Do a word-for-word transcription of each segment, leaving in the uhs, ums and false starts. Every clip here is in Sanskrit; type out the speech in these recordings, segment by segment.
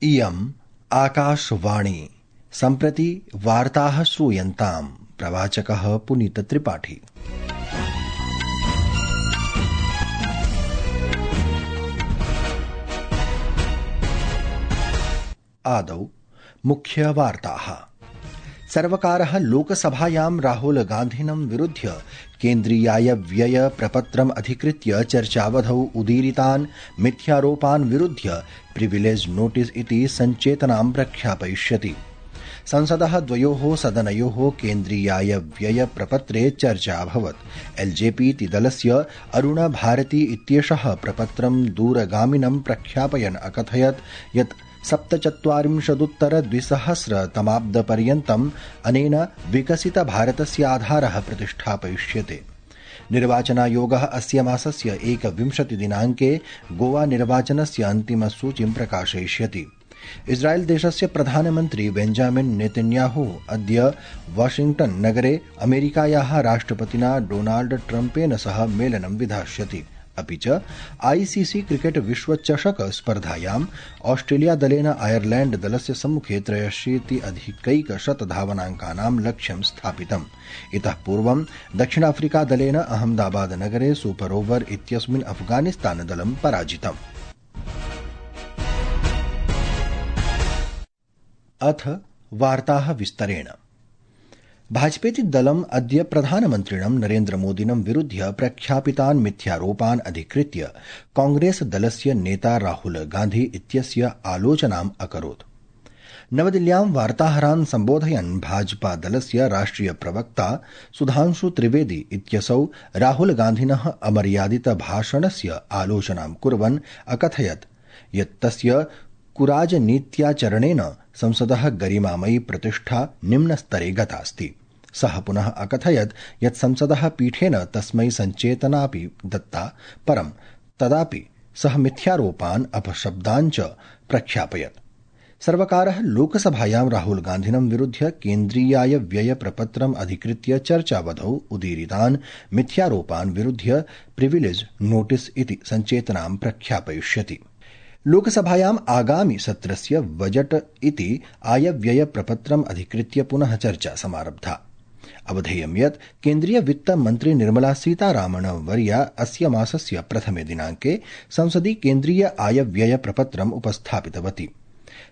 इयम् आकाशवाणी। सम्प्रति वार्ताः श्रूयन्ताम्। प्रवाचकः पुनीतत्रिपाठी। आदौ मुख्यवार्ताः। सर्वकारः लोकसभायां राहुल गान्धिनं विरुध्य केन्द्रीयाय व्यय प्रपत्रम् अधिकृत्य चर्चावधौ उदीरितान् मिथ्यारोपान् विरुध्य प्रिविलेज नोटिस इति सञ्चेतनां प्रख्यापयिष्यति। संसदः द्वयोः सदनयोः केन्द्रीयाय व्यय प्रपत्रे चर्चा अभवत्। एल्जेपी इति दलस्य अरुण भारती इत्येषः प्रपत्रं दूरगामिनं प्रख्यापयन् अकथयत् यत् सप्तचत्वारिंशदुत्तर द्विसहस्रतमाब्दपर्यन्तम् अनेन विकसितभारतस्य आधारः प्रतिष्ठापयिष्यते। निर्वाचनायोगः अस्य मासस्य एकविंशतिदिनाङ्के गोवा निर्वाचनस्य अन्तिमसूचीं प्रकाशयिष्यति। इस्राएल देशस्य प्रधानमन्त्री बेंजामिन नेतन्याहू अद्य वाशिंग्टन नगरे अमेरिकायाः राष्ट्रपतिना डोनाल्ड ट्रम्पेन सह मेलनं विधास्यति। अपि च आईसीसी क्रिकेट विश्वचषक स्पर्धायाम् ऑस्ट्रेलिया दलेन आयरलैंड दलस्य सम्मुखे त्रयाशीति अधिकैकशत धावनाङ्कानां लक्ष्यं स्थापितम्। इतः पूर्वं दक्षिणाफ्रीका दलेन अहमदाबाद नगरे सुपर ओवर इत्यस्मिन् अफगानिस्तान दलं पराजितम्। अथ वार्ताः विस्तरेण। भाजपेति दलम् अद्य प्रधानमन्त्रिणं नरेन्द्रमोदिनं विरुध्य प्रख्यापितान् मिथ्यारोपान् अधिकृत्य कांग्रेस दलस्य नेता राहुल गान्धी इत्यस्य आलोचनाम् अकरोत्। नवदिल्ल्यां वार्ताहरान् सम्बोधयन् भाजपा दलस्य राष्ट्रिय प्रवक्ता सुधांशु त्रिवेदी इत्यसौ राहुल गान्धिनः अमर्यादित भाषणस्य आलोचनां कुर्वन् अकथयत् यत् तस्य कुराजनीत्याचरणेन संसदः गरिमामयी प्रतिष्ठा निम्नस्तरे गतास्ति। सः पुनः अकथयत् यत् संसदः पीठेन तस्मै सञ्चेतनापि दत्ता, परं तदापि सः मिथ्यारोपान् अपशब्दान् च प्रख्यापयत्। सर्वकारः लोकसभायां राहुल गान्धिनं विरुध्य केन्द्रीयाय व्यय प्रपत्रम् अधिकृत्य चर्चावधौ उदीरितान् मिथ्यारोपान् विरुध्य प्रिविलेज नोटिस इति सञ्चेतनां प्रख्यापयिष्यति। लोकसभायाम् आगामि सत्रस्य बजट इति आयव्यय प्रपत्रम् अधिकृत्य पुनः चर्चा समारब्धा। अवधेयं यत् केन्द्रीय वित्त मन्त्री निर्मला सीतारामन वर्या अस्य मासस्य प्रथमे दिनाङ्के संसदि केन्द्रीय आयव्यय प्रपत्रम् उपस्थापितवती।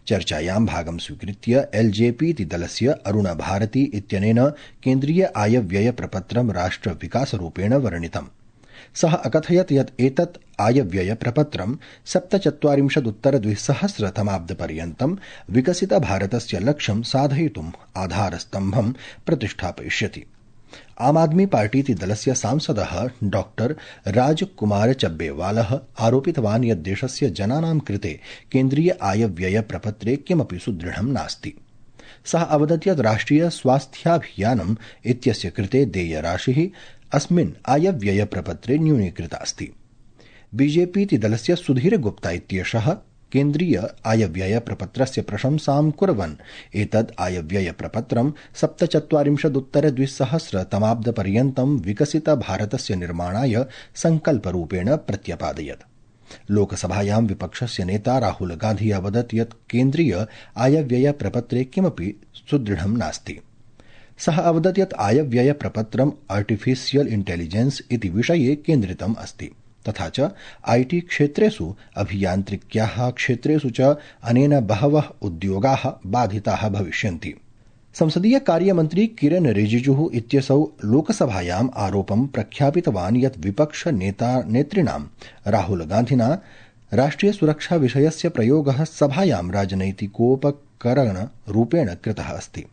चर्चायां भागं स्वीकृत्य एल्जेपी इति दलस्य अरुण भारती इत्यनेन केन्द्रीय आयव्यय प्रपत्रं राष्ट्रविकासरूपेण वर्णितम्। सः अकथयत् यत् एतत् आयव्यय प्रपत्रं सप्तचत्वारिंशदुत्तर द्विसहस्रतमाब्दपर्यन्तं विकसितभारतस्य लक्ष्यं साधयितुम् आधारस्तम्भं प्रतिष्ठापयिष्यति। आम आदमी पार्टी इति दलस्य सांसदः डॉक्टर राजकुमार चब्बेवालः आरोपितवान् यत् देशस्य जनानां कृते केन्द्रीय आयव्यय प्रपत्रे किमपि सुदृढं नास्ति। सः अवदत् यत् राष्ट्रिय स्वास्थ्याभियानम् इत्यस्य कृते देयराशिः अस्मिन् आयव्यय प्रपत्रे न्यूनीकृतास्ति। बीजेपी इति दलस्य सुधीर गुप्ता इत्येषः केन्द्रीय आयव्यय प्रपत्रस्य प्रशंसां कुर्वन् एतद् आयव्यय प्रपत्रं सप्तचत्वारिंशदुत्तर द्विसहस्रतमाब्दपर्यन्तं विकसितभारतस्य निर्माणाय सङ्कल्परूपेण प्रत्यपादयत्। लोकसभायां विपक्षस्य नेता राहुल गान्धी अवदत् यत् केन्द्रीय आयव्यय प्रपत्रे किमपि सुदृढं नास्ति। सः अवदत् यत् आयव्यय प्रपत्रम् आर्टिफिशियल इंटेलिजेंस इति विषये केन्द्रितम् अस्ति, तथा च आईटी क्षेत्रेषु अभियान्त्रिक्याः क्षेत्रेषु च अनेन बहवः उद्योगाः बाधिताः भविष्यन्ति। संसदीय कार्यमन्त्री किरेन रिजिजुः इत्यसौ लोकसभायाम् आरोपं प्रख्यापितवान् यत् विपक्ष नेता नेतृणां राहुल गान्धिना राष्ट्रिय सुरक्षा विषयस्य प्रयोगः सभायां राजनैतिकोपकरणरूपेण कृतः अस्ति।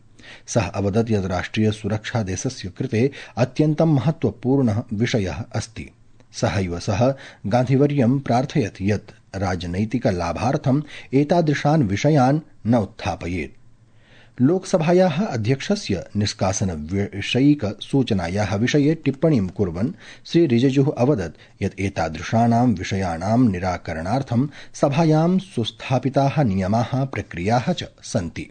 सः अवदत् यत् राष्ट्रिय सुरक्षा देशस्य कृते अत्यन्तं महत्वपूर्णः विषयः अस्ति। सहैव सः गान्धिवर्यं प्रार्थयत् यत् राजनैतिकलाभार्थम् एतादृशान् विषयान् न उत्थापयेत्। लोकसभायाः अध्यक्षस्य निष्कासनविषयिक सूचनायाः विषये टिप्पणीं कुर्वन् श्री रिजिजुः अवदत् यत् एतादृशानां विषयाणां निराकरणार्थं सभायां सुस्थापिताः नियमाः प्रक्रियाः च सन्ति।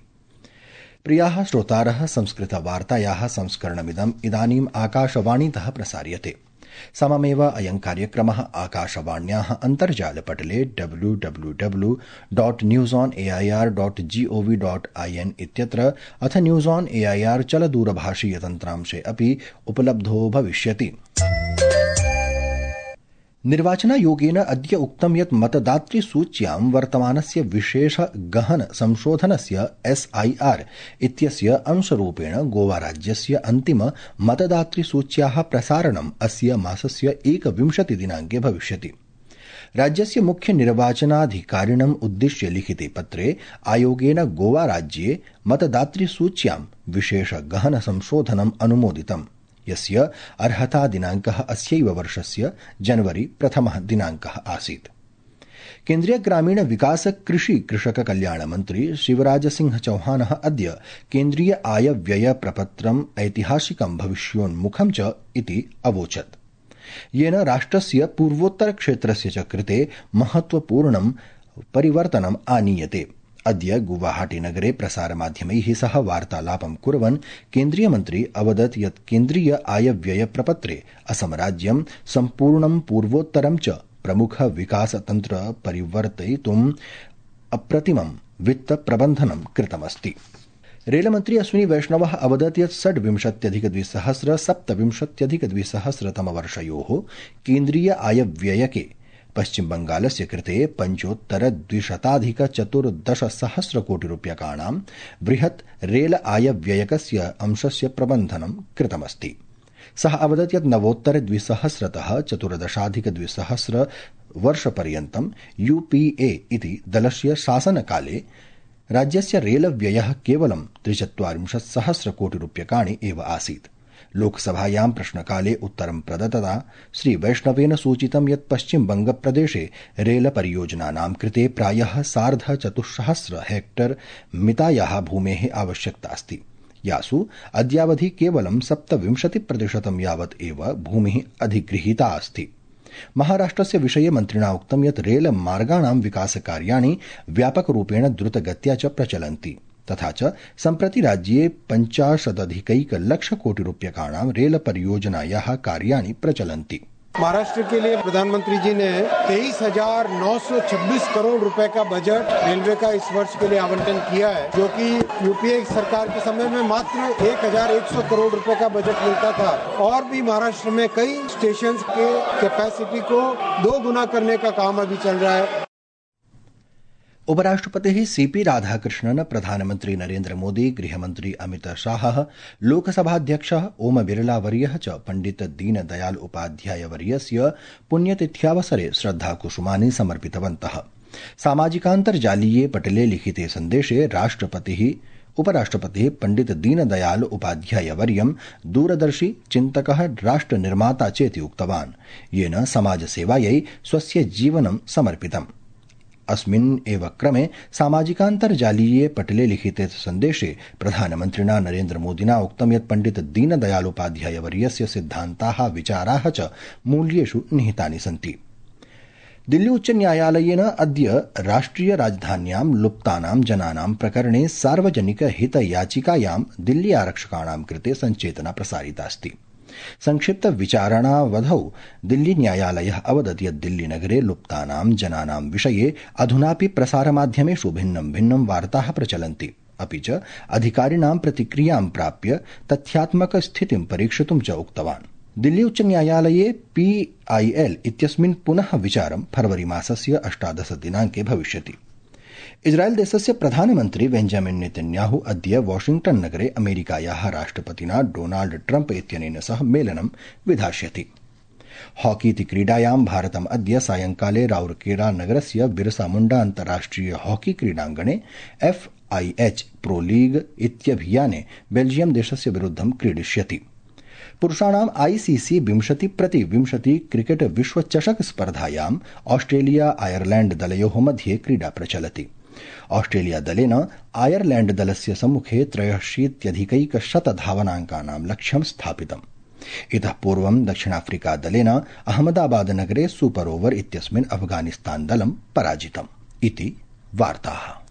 प्रियाः श्रोतारः, संस्कृतवार्तायाः संस्करणमिदम् इदानीम् आकाशवाणीतः प्रसार्यते। सममेव अयं कार्यक्रमः आकाशवाण्याः अन्तर्जालपटले W W W dot news on AIR dot G O V dot IN इत्यत्र अथ न्यूज ऑन एआईआर चलदूरभाषीय तन्त्रांशे अपि उपलब्धो भविष्यति। निर्वाचनायोगेन अद्य उक्तं यत् मतदातृसूच्यां वर्तमानस्य विशेष गहन संशोधनस्य एसआईआर इत्यस्य अंशरूपेण गोवाराज्यस्य अन्तिम मतदातृसूच्याः प्रसारणम् अस्य मासस्य एकविंशति दिनाङ्के भविष्यति। राज्यस्य मुख्य निर्वाचनाधिकारिणम् उद्दिश्य लिखिते पत्रे आयोगेन गोवाराज्ये मतदातृसूच्यां विशेष गहन संशोधनम् अनुमोदितम्, यस्य अर्हता दिनाङ्कः अस्यैव वर्षस्य जनवरी प्रथमः दिनाङ्कः आसीत्। केन्द्रीय ग्रामीण विकास कृषि कृषक कल्याण मन्त्री शिवराज सिंह चौहानः अद्य केन्द्रीय आय व्यय प्रपत्रम् ऐतिहासिकं भविष्योन्मुखं च इति अवोचत्, येन राष्ट्रस्य पूर्वोत्तर क्षेत्रस्य च कृते महत्वपूर्णं परिवर्तनम् आनीयते। अद्य गुवाहाटी-नगरे प्रसारमाध्यमैः सह वार्तालापं कुर्वन् केन्द्रीयमन्त्री अवदत् यत् केन्द्रीय आय-व्यय प्रपत्रे असमराज्यं सम्पूर्णं पूर्वोत्तरं च प्रमुख विकासतन्त्र परिवर्तयितुम् अप्रतिमं वित्त प्रबन्धनं कृतमस्ति। रेलमन्त्री अश्विनी वैष्णवः अवदत् यत् षड्विंशत्यधिकद्विसहस्र सप्तविंशत्यधिकद्विसहस्रतमवर्षयोः केन्द्रीय आय-व्ययके पश्चिमबंगालस्य कृते पञ्चोत्तर द्विशताधिक चतुर्दश सहस्र कोटि रूप्यकाणां बृहत् रेल आयव्ययकस्य अंशस्य प्रबन्धनं कृतमस्ति। सः अवदत् यत् नवोत्तर द्विसहस्रतः चतुर्दशाधिक द्विसहस्र वर्षपर्यन्तं यूपीए इति दलस्य शासनकाले राज्यस्य रेलव्ययः केवलं त्रिचत्वारिंशत् सहस्र कोटि रूप्यकाणि एव आसीत्। लोकसभायां प्रश्नकाले उत्तरं प्रदत्तता श्री वैष्णवेन सूचितं यत् पश्चिमबंगप्रदेशे रेल परियोजनानां कृते प्रायः सार्ध चतुस्सहस्र हेक्टर मितायाः भूमेः आवश्यकता अस्ति, यासु अद्यावधि केवलं सप्तविंशति प्रतिशतं यावत् एव भूमिः अधिगृहीता अस्ति। महाराष्ट्रस्य विषये मन्त्रिणा उक्तं यत् रेल मार्गाणां विकासकार्याणि व्यापकरूपेण द्रुतगत्या च प्रचलन्ति, तथा च सम्प्रति राज्ये पञ्चाशदधिकैकलक्ष कोटि रूप्यकाणां रेल परियोजनायाः कार्याणि प्रचलन्ति। महाराष्ट्र के लिए प्रधानमंत्री जी ने तेईस हजार नौ सौ छब्बीस करोड़ रुपए का बजट रेलवे का इस वर्ष के लिए आवंटन किया है, जो कि यूपीए सरकार के समय में मात्र एक हजार एक सौ करोड़ रुपए का बजट मिलता था। और भी महाराष्ट्र में कई स्टेशन के कैपेसिटी को दो गुना करने का काम अभी चल रहा है। उपराष्ट्रपतिः सीपी राधाकृष्णन्, प्रधानमन्त्री नरेन्द्र मोदी, गृहमन्त्री अमित शाहः, लोकसभाध्यक्षः ओम बिरला वर्यः च पण्डित दीनदयाल उपाध्याय वर्यस्य पुण्यतिथ्यावसरे श्रद्धाकुसुमानि समर्पितवन्तः। सामाजिकान्तर्जालीये पटले लिखिते सन्देशे राष्ट्रपतिः उपराष्ट्रपतिः पण्डित दीनदयाल उपाध्याय वर्यं दूरदर्शी चिन्तकः राष्ट्रनिर्माता चेति उक्तवान्, येन समाजसेवायै स्वस्य जीवनं समर्पितम्। अस्मिन् एव क्रमे सामाजिकान्तर्जालीये पटले लिखिते सन्देशे प्रधानमन्त्रिणा नरेन्द्र मोदिना उक्तं यत् पण्डित दीनदयाल उपाध्याय वर्यस्य सिद्धान्ताः विचाराः च मूल्येषु निहितानि सन्ति। दिल्ली उच्च न्यायालयेन अद्य राष्ट्रिय राजधान्यां लुप्तानां जनानां प्रकरणे सार्वजनिक हित याचिकायां दिल्ली आरक्षकाणां कृते सञ्चेतना प्रसारितास्ति। संक्षिप्त विचारणावधौ दिल्ली न्यायालयः अवदत् यत् दिल्लीनगरे लुप्तानां जनानां विषये अधुनापि प्रसारमाध्यमेषु भिन्नं भिन्नं वार्ताः प्रचलन्ति, अपि च अधिकारिणां प्रतिक्रियां प्राप्य तथ्यात्मकस्थितिं परीक्षितुं च उक्तवान्। दिल्ली उच्च न्यायालये पीआईएल इत्यस्मिन् पुनः विचारं फरवरी मासस्य अष्टादश दिनाङ्के भविष्यति। इस्राएल देशस्य प्रधानमन्त्री बेंजामिन नेतन्याहु अद्य वाशिंग्टन नगरे अमेरिकायाः राष्ट्रपतिना डोनाल्ड ट्रम्प इत्यनेन सह मेलनं विधास्यति। हॉकी इति क्रीडायां भारतम् अद्य सायंकाले राउरकेला नगरस्य बिरसा मुण्डा अन्ताराष्ट्रिय हॉकी क्रीडाङ्गणे एफआईएच प्रो लीग इत्यभियाने बेल्जियम देशस्य विरुद्धं क्रीडिष्यति। पुरुषाणाम् आईसीसी विंशति प्रति विंशति क्रिकेट विश्वचषक स्पर्धायां ऑस्ट्रेलिया आयरलैंड दलयोः मध्ये क्रीडा प्रचलति। ऑस्ट्रेलिया दलेन आयरलैंड दलस्य सम्मुखे त्रयशीत्यधिकैकशत धावनाङ्कानां लक्ष्यं स्थापितम्। इतः पूर्वं दक्षिणाफ्रीका दलेन अहमदाबाद नगरे सुपर ओवर इत्यस्मिन् अफगानिस्तान दलं पराजितम्। इति वार्ताः।